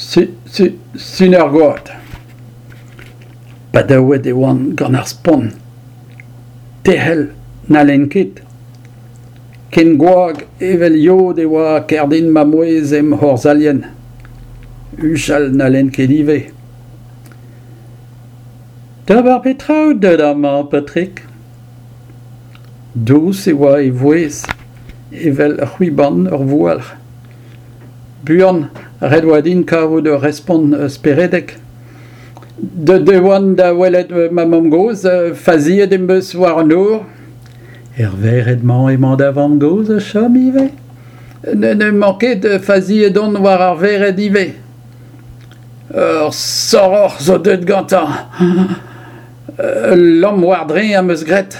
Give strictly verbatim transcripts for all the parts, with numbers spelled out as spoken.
Suner-gwad. Badaouet e oan gant ar spont. Tec'hel n'hallen ket. Ken gwak evel yod e oa kerdin ma mouezh em c'horzailhenn. Huchal n'hallen ket ivez. D'ober petra out deuet amañ, paotrig ? Dous e oa e vouezh, evel c'hwiban ur voualc'h. Buan, ret e oa din kavout ur respont speredek. Deuet e oan da welet ma mamm-gozh, faziet em eus war an nor. Er vered-mañ emañ da vamm-gozh o chom ivez ? N'emañ ket, faziet on war ar vered ivez. Ur soroc'h zo deuet gantañ. Ul lamm war-dreñv am eus graet.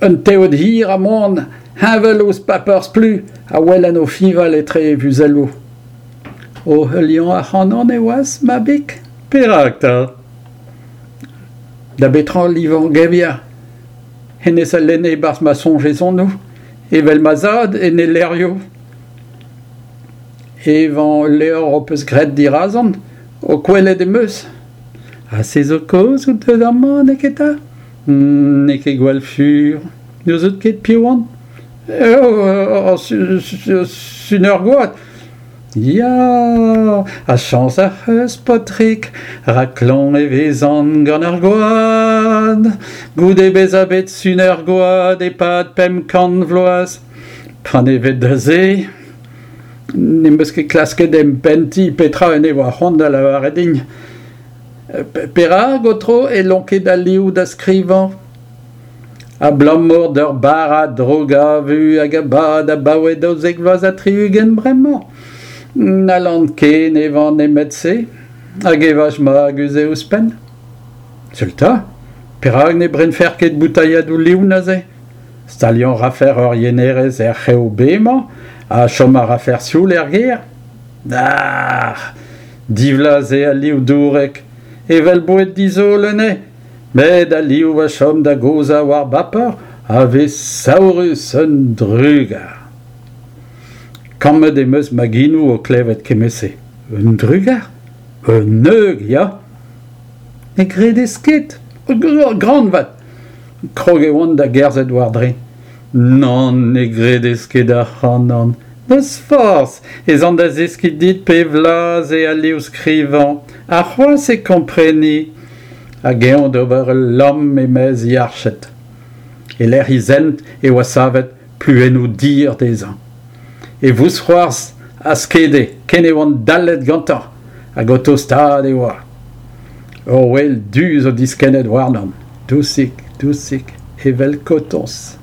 Un teod hir ha moan, heñvel ouzh paper splu, a welen o fiñval etre e vuzelloù. O heuliañ ac'hanon e oas, mabig ? Perak 'ta ? Da betra livañ gevier ? Hennezh a lenne e-barzh ma soñjezonoù, evel ma zad en e levrioù. Evañ ul levr ho peus graet dirazon, ho kwelet em eus. Ha se zo kaoz out deuet amañ, neketa ? N'eo ket gwall fur. N'ouzout ket piv on ? Eo, ur suner-gwad. Ya, ha chañs ac'h eus, paotrig, rak klañv e vezan gant ar gwad. Goude bezañ bet suner-gwad e-pad pemp kant vloaz. Panevet da se, n'em eus ket klasket empentiñ petra en devoa c'hoant da lavaret din. Perak, aotrou, e lonket al liv da skrivañ ? Abalamour d'ur barrad droug-avu hag a bad abaoe daouzek vloaz ha tri-ugent bremañ. N'hallan ken evañ nemet se, hag evaj magus eo ouzhpenn. Seul 'ta, perak ne brenfer ket boutailhadoù liv neuze ? Staliañ a rafer ur yenerez er c'hev B-mañ ha chom a rafer sioul er gêr ? Ac'h ! Divlaz eo al liv dourek, evel boued dizolo eo. Met al liv a chom da gozhañ war baper a vez saourus un drugar. Kammet em eus ma genoù o klevet kement-se. Un drugar ? Un heug, ya ! Ne gredez ket ? Gran 'vat ! Krog e oan da gerzhet war-dreñv. Nann, ne gredez ket ac'hanon. N'eus forzh, ez an da zeskiñ dit pe vlaz eo al liv skrivañ, ha c'hoazh e kompreni. Hag eñ d'ober ul lamm e-maez e arched. E-lec'h e zent e oa savet pluennoù dir dezhañ. E vousc'hoarzh a skede ken e oan dallet gantañ, hag o tostaat e oa. Ur ouel du zo diskennet warnon, dousik, dousik, evel kotoñs.